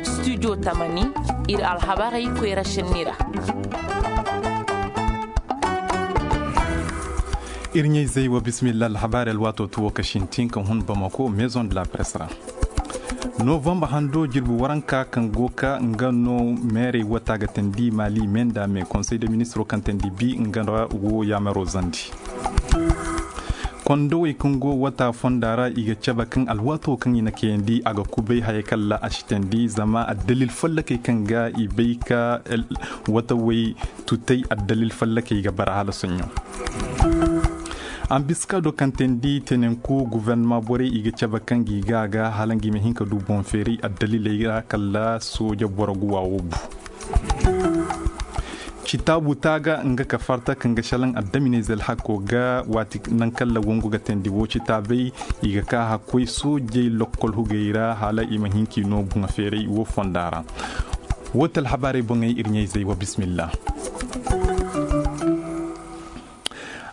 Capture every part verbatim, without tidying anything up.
Studio tamani, ir alhabarey koyra šenni ra. Ir ɲayzey wa bismillah alhabarey alwaato tuwo ka sintin ka hun bamako maison de la presse ra. Novambar hando jirbi waranka kaŋ go ka nga no meerey wata ga tandi mali menda me konsey de ministiro kaŋ tandi bi nga ra wo yaamaro zandi. Kondowey kaŋ go wata fonda ra i ga cabe kaŋ alwaato kaŋ i na kayandi a ga kubay hayey kaŋ ra a si tandi zama addalil fallakey kaŋ ga i bay ka watawey tutay addalil fallakey ga bara hala soɲõ. Ambiska do kaŋ teendi tenenku guvernama borey i ga cabe kaŋ gi ga ga hala ngi ma hin ka du boŋ feeray addaliley ra kala sooja boro guwa wo bu. Citaabu taaga nga ka farta kaŋ ga šalaŋ addaminey zelhakko ga waati naŋ kala wongu ga teendi wo citaabey i ga ka hakkoy soojey lokkol hugey ra hala i ma hin k'i no boŋ feeray wo fonda ra. Wo ti alhabaarey boŋey ir ɲayzey wa bismillah.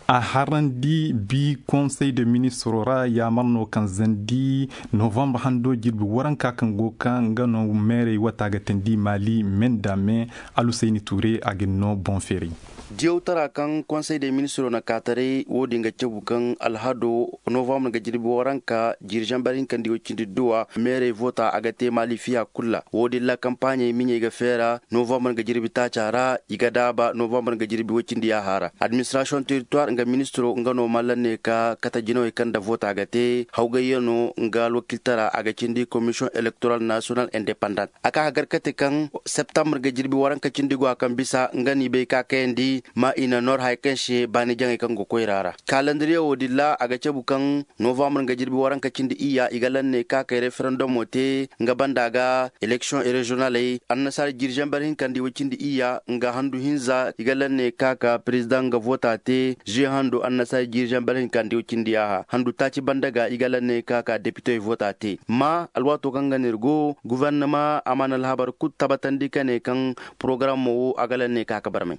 A harandi bi konsey de ministiro ra yaamar no kaŋ zandi novambar hando jirbi waranka kaŋ go ka nga no meerey wata ga teendi mali menda me alusayni tuure a ga ni no boŋ feeray. Diyawtara kaŋ konsey de ministiro na kaataray wo-din ga cabu kaŋ alhado novambar ga jirbi waranka jiri zambar hinka nda i way cindi duwa meerey voota a ga te mali fiya kul ra wo-din ra kampaaɲey miɲey ga feera novambar nga jirbi taaca ra i ga daaba novambar nga jirbi woy cindi yaaha ra. Administrasiyoŋ teritowar nga ministiro nga no mallan ne ka kate jinawey kaŋ nda voota ga te hawgayyaŋo nga alwakiltara a ga cindi komisiyoŋ elektoral nasiyonal indepandant a ka ka gar kate kaŋ septambar nga jirbi waranka cindi go a kaŋ bisa nga n'i bay ka kayandi ma i na nor haya kaŋ se baani jaŋey kaŋ go koyra ra kalandiriye wo-din ra a ga cabu kaŋ novambar nga jirbi waranka cindi iyya i ga lanne ka kay referendomo te nga banda ga eleksiyoŋ reziyonaley annasaara jiri zambar hinka nda i way cindi iyya nga handu hinza i ga lanne ka ka perezidaŋ nga voota te ze handu annasaara jiri zambar hinka nda i way cindi yaaha handu taaci banda ga i ga lanne ka ka depitey voota te ma alwaato kaŋ ga no ir go guvernama a mana alhabar kul tabatandi ka ne kaŋ porogaramo wo a ga lanne ka ka barmay.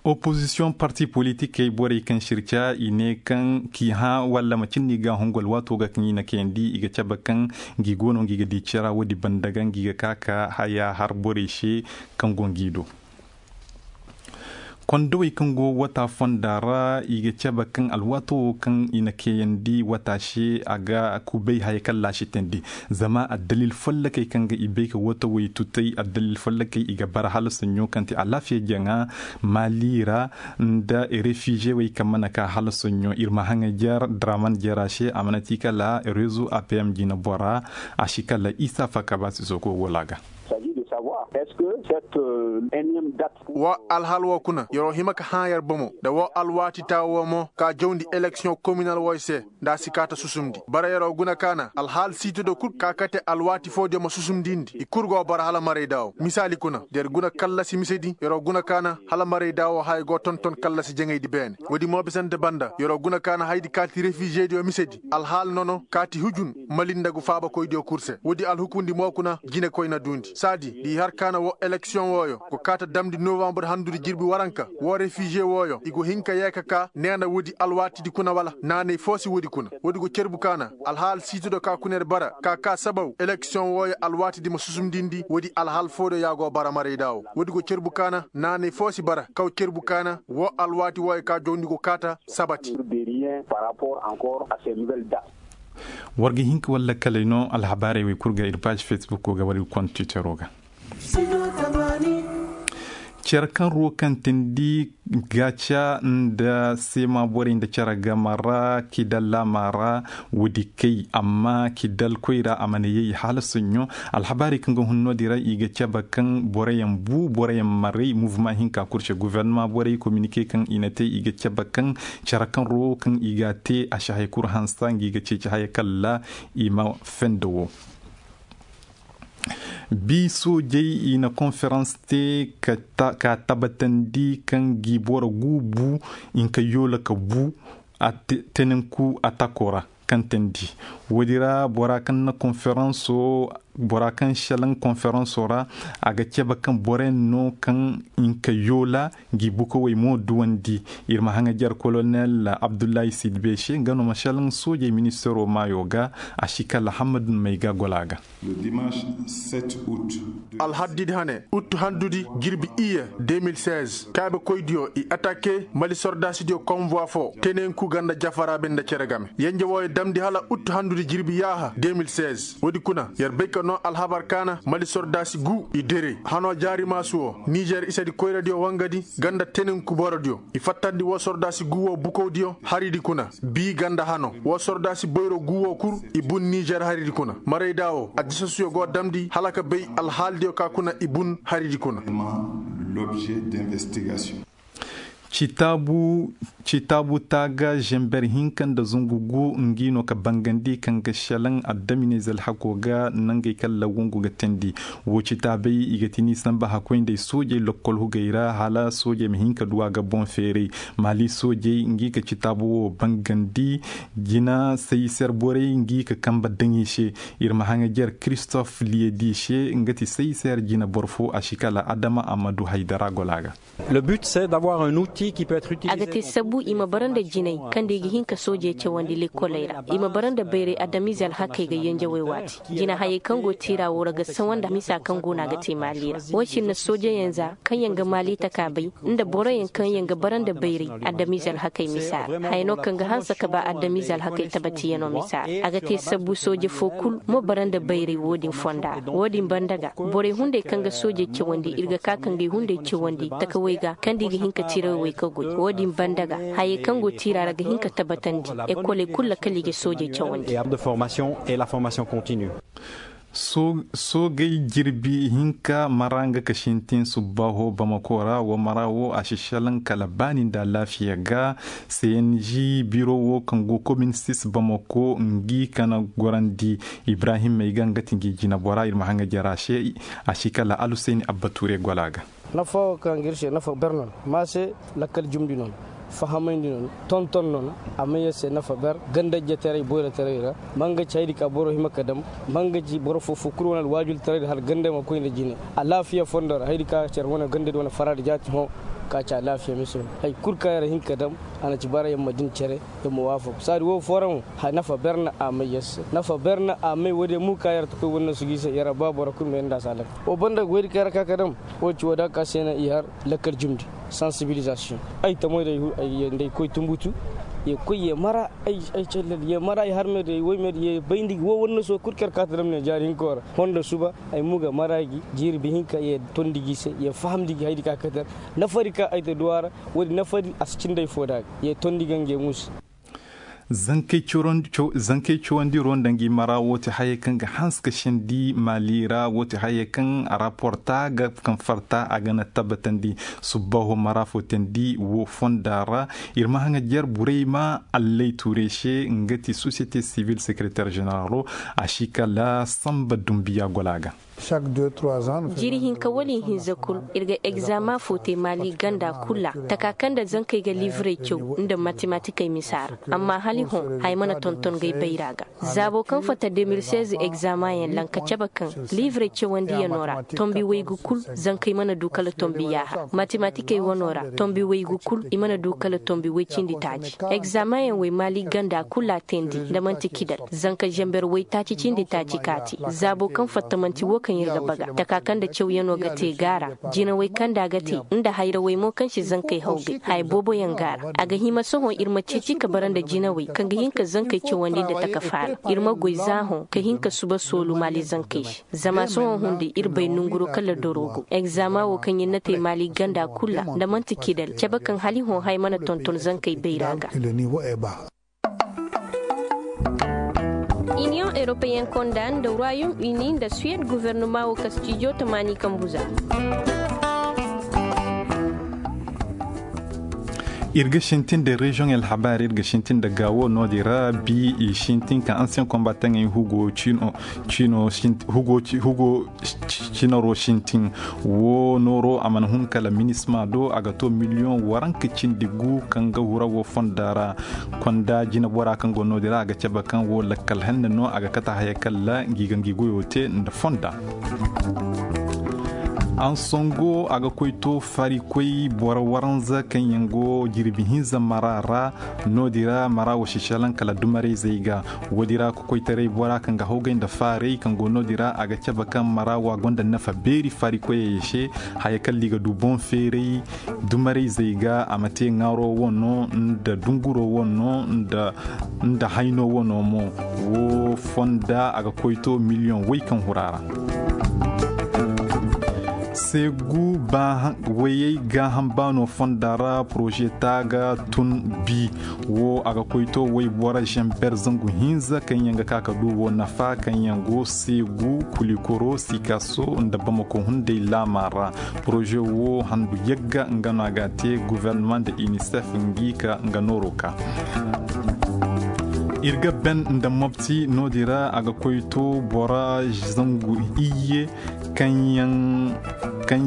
Opozisiyoŋ parti politikey borey kaŋ sirca i ne kaŋ k'i hã walla macin no i ga a hungu alwaato ga kaŋ i na kayandi i ga cabe kaŋ ngi go no ngi ga di cira woodi banda ga ngi ga ka ka haya har borey se kaŋ go ngi do. Kondowey kaŋ go wata fonda ra i ga cabe kaŋ alwaato wo kaŋ i na kayandi wata se a ga kubay haya kaŋ ra a si teendi. Zama addalil follokey kaŋ ga i bay ka watawey tutay addalil follokey i ga bara hala soɲõ kaŋ ti alaafiya jaŋa mali ra nda refize wey kaŋ mana ka hala soɲõ ir ma haŋay jer draman jera se a mana ti kala rezo apm jina bora. A si kala isa fakaba si soko wala ga. Wa alhal wo kuna yer'o hima ka hã yer bomo nda wo alwaati taa wo mo ka jawndi eleksiyoŋ kominal woy se. Nda a si kaata susumndi bara yer'o guna kaana alhaal siitido kul ka kate alwaati foodiyo ma susumndindi i kul go bara hala marayda wo misaali kuna da yer guna kallasi misedi yer'o guna kaana hala marayda wo haya go tonton kallasi jaŋaydi beene. Woodi mo bisante banda yer'o guna kaana hayadi kaati refiizediyo misedi alhaal nono kaati hujun mali nda gu faabakoydiyo kul se woodi alhukundi mo kuna jinekoy na duundi saadi da i har kaana wo eleksiyoŋ wooyo go kaata damndi novambur handudi jirbi waranka wo refiize wooyo i go hin ka yee ka kaa neena woodi alwaatidi kuna wala naanay foo si woodi kuna woodi go cerbu kaana alhaal siitido ka kuna yer bara ka kaa sabaw eleksiyoŋ wooyo alwaatidi ma susumdindi woodi alhaal foo do yaa go bara marayda wo woodi go cerbu kaana naanay foo si bara kaw cerbu kaana wo alwaati wooyo ka jawndi go kaata sabati. War ga hin ka walla kalay no alhabaarey wey kul ga ir paazi fesbukko ga war ir kont tiitero ga. Cere kaŋ ruwo kaŋ tindi gaaca nda seema borey nda cere game ra kidal laama ra. Woodi kay amma kidal koyra a mana yay hala soɲõ. Alhabaarey kaŋ ga hun no-din ra i ga cabe kaŋ boroyaŋ bu boroyaŋ maray muvuma hinka kul se guvernama borey kominike kaŋ i na te i ga cabe kaŋ cere kaŋ ruwo kaŋ i ga a te a si haya kul hansa ngi ga ceeci haya kalla i ma fende wo. Bi soojey i na konferans te ka tabatandi kaŋ gi boro gu bu i nka yoola ka bu tenenku atako ra. Kaŋ teendi woodi ra bora kaŋ na konferanso Bora kaŋ šelaŋ konferansoo ra, a ga cebe kaŋ boroyaŋ no kaŋ hinka yoola ngi bukawey mo duwandi. Ir ma haŋajer kolonel abdullahi sidbe se nga no ma šelaŋ soojey ministaroo maayoo ga. A si kala hammad may ga gola ga. Alhaddidi hane, ut handudi jirbi iyye de mil seize kaabekoydiyo i atake mali sordaasidiyo konvoi foo tenenku ganda jafara be nda cere game yenje wooyo damndi hala ut handudi jirbi yaaha de mil seize. Woodi kuna yer bay ka noo alhabar kaana mali sordaasi guu i dere hanoo jaari maasu woo nizer isedi koyradiyo wangadi ganda tenenku borodiyo i fattandi woo sordaasi guu woo bukowdiyo haridi kuna bii ganda hano woo sordaasi boyro guu woo kul i bun nizer haridi kuna marayda woo addisasuyo go damndi hala ka bay alhaalidiyo ka kuna i bun haridi kuna. Citaabu citaabu taaga zember hinka nda zungu gu ngi no ka bangandi kaŋ ga selaŋ addaminey zalhako ga nangey kaŋ lawangu ga teendi. Woo citaabey i ga ti ni samba hakkoy nd'ey soojey lokkol hugey ra hala soojey ma hin ka du a ga boŋ feeray. Maali soojey ngi ka citaabu woo bangandi jina sayiser borey ngi ka kambe daŋ i se. Ir ma haŋajer kiristof liyedi se nga ti sayiser jina boro foo a si kala adama a ma du haydara gola ga. A ga te sabbu i ma bara nda jinay kaŋ da i ga hin ka soojey cawandi lekkoley ra i ma bara nda bayray adamize alhakey ga yenjawey waati. Jinahayey kaŋ go tiira woo ra ga sawa nda misa kaŋ go no a ga te maali ra. Woo si na soojeyaŋ za kaŋ yaŋ ga maali taka bay nda boroyaŋ kaŋ yaŋ ga bara nda bayray adamize alhakey misa ra haya no kaŋ ga hanse ka ba adamize alhakey tabatiyanoo misa ra a ga te sabbu sooje foo kul ma bara nda bayray woo din fonda ra woo din banda ga borey hunday kaŋ ga soojey cawandi ir ga ka ka ngey hunday cawandi takawey ga kaŋ da i ga hin ka tirawey wey ka goy woo din banda ga hayey kaŋ go tiira ra ga hin ka tabatandi. Ekoley kul ra kala i ga soojey cawandi. Soogey jirbi hinka mara nga ka sintin subbaaho bamako ra woo mara woo a si selaŋ kala baani nda alaafiya ga. Cng biro woo kaŋ go komin sis bamako ngi ka na gorandi ibrahim may ga nga ti ngi jinabora ir ma haŋa jara se. A si kala alusayni abba ture gola ga. Nafa woo kaŋ ga ir se nafa ber no na ma se lakkal jumndi no na fahamayndi no na tonton no na a may yar se nafa ber ganda ijjetaray boyrotaray ra. Ma nga ci haydi ka boro hima ka dam ma nga ci boro foo foo kul wane alwaajultaray ra hala ganda ma koy nda jine alaafiya fondo ra haydi ka cer wane ganda di wane faraadi jaati hõ. Ka ci alaafiya mise wane hay kul ka yer hin ka dam a na ci bara yer ma din cere yer ma waafak saadi woo foo ra mo. Nafa ber na a may yer se nafa ber na a may woodiyo mo ka yer ta koy wane noosu ga i se yer a ba boro kul ma yer nda a se alaka woo banda goydi ka yer a ka ka dam. Woo ci woo da ka se na i har lakkal jumndi sansibilizasiyoŋ. Ay tamoy day nda ay koy tumbutu ye koy ye mara ay callal ye mara ay harmey day woymey day ye bayndi gi woo wane noosu kul ka yer ka ta dam ne jaari hinkoo ra. Fondo suba ay mo ga mara gi jiiri bi hinka ye tondi gi se ye fahamndi gi haydi ka ka tar nafari ka ay ta du a ra. Woodi nafari a si cindi ay foo da ga ye tondi ga ngey muusu. Zankey cawandiro nda ngi mara woo ti hayey kaŋ ga hanse ka sendi maali ra woo ti hayey kaŋ raporta ga kaŋ farta a ga na tabbatandi. Subbaaho mara foo teendi woo fonda ra. Ir ma haŋa jer burayma allay tuure se nga ti sosiyete sivil sekereter ženeralo. A si kala sanba dunbiya gola ga. Jiiri hinka wala ihinza kul ir ga egzama foo te maali ganda kul ra taka kaŋ nda zankey ga liivrey caw nda matematikey misa ra. Amma hala i hõ haya mana tonton ga ay bayra ga. Zaabo kaŋ fatta de mil seize egzamayaŋ lanka cabe kaŋ liivrey cawandiyanoo ra tombi waygu kul. Zankey mana du kala tombi yaaha matematikey wanoo ra tombi waygu kul i mana du kala tombi way cindi taaci. Egzamayaŋ way maali ganda kul ra teendi nda man'ti kidal zanka zamber waytaaci cindi taaci kaati. Zaabo kaŋ fatta man'ti woo kaŋ ir ga baga taka kaŋ nda cawyanoo ga te ga a ra. Jinawey kaŋ nda a ga te nda hayrawey mo kaŋ si zankey hawgay haya booboyaŋ ga a ra. A ga hima sohõ ir ma ceeci ka bara nda jinawey kaŋ ga hin ka zankey cawandi nda taka faala. Ir ma goy za hõ ka hin ka suba soolu maali zankey se. Zama sohõ hunday ir bay nonguroo kala doroo go egzama woo kaŋ ir na te maali ganda kul ra nda man'ti kidal cabe kaŋ hala i hõ haya mana tonton zankey bayra ga. Iniyoŋ europeyen konda nda royaume uni nda suwed guvernoma woo kastijo tamaani kambu za. Ir ga sintin nda reziyoŋ alhabaari ir ga sintin nda gaawo no-din ra bi i sintin ka ansiyen kombataŋey hugo ciino hugo cinaro sintin. Wo nooro a mana hun kala minisma do a ga to miliyoŋ waranka cindi gu kaŋ ga hura wo fonda ra. Konda jinabora kaŋ go no-din ra a ga cabe kaŋ wo lakkal henne no a ga kate haya kalla ngi ga ngi goyo te nda fonda. Ansongo a ga koy to farikoy boro waranza kaŋ yaŋ go jirbi hinza mara ra. No-din ra mara wo si salaŋ kala dumarayzey ga. Wo-din ra kokoytaray bora kaŋ ga hawgay nda faaray kaŋ go no-din ra a ga cabe kaŋ mara wo a gonda nafa beeri farikoyey se. Haya kalla i ga du boŋ feeray dumarayzey ga a ma te ŋaaro wano nda dunguro wano nda hayno wano mo. Wo fonda a ga koy to miliyoŋ way kaŋ hura ra. Seegu wayey gaaham baano fonda ra poroze taaga tun bi. Wo a ga koy to waybora zamber zangu hinza kaŋ yaŋ ga ka ka du wo nafa kaŋ yaŋ go seegu kulikoro sikaso nda bamako hunday laama ra. Poroze wo handu yagga nga no a ga a te guvernama nda inisef ngi ka nga nooro ka. Ir ga ben nda mobti no-din ra a ga koy to bora zangu iyye kaŋ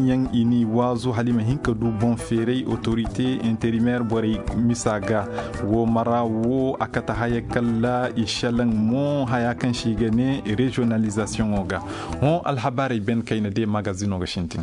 yaŋ i n'i waazu hala i ma hin ka du boŋ feeray otorite interimeer borey misa ga. Wo mara wo a kate haya kalla i selaŋ mo haya kaŋ se i ga ne reziyonalizasiyoŋo ga. Hõ alhabaarey ben kayna de magazino ga sintin.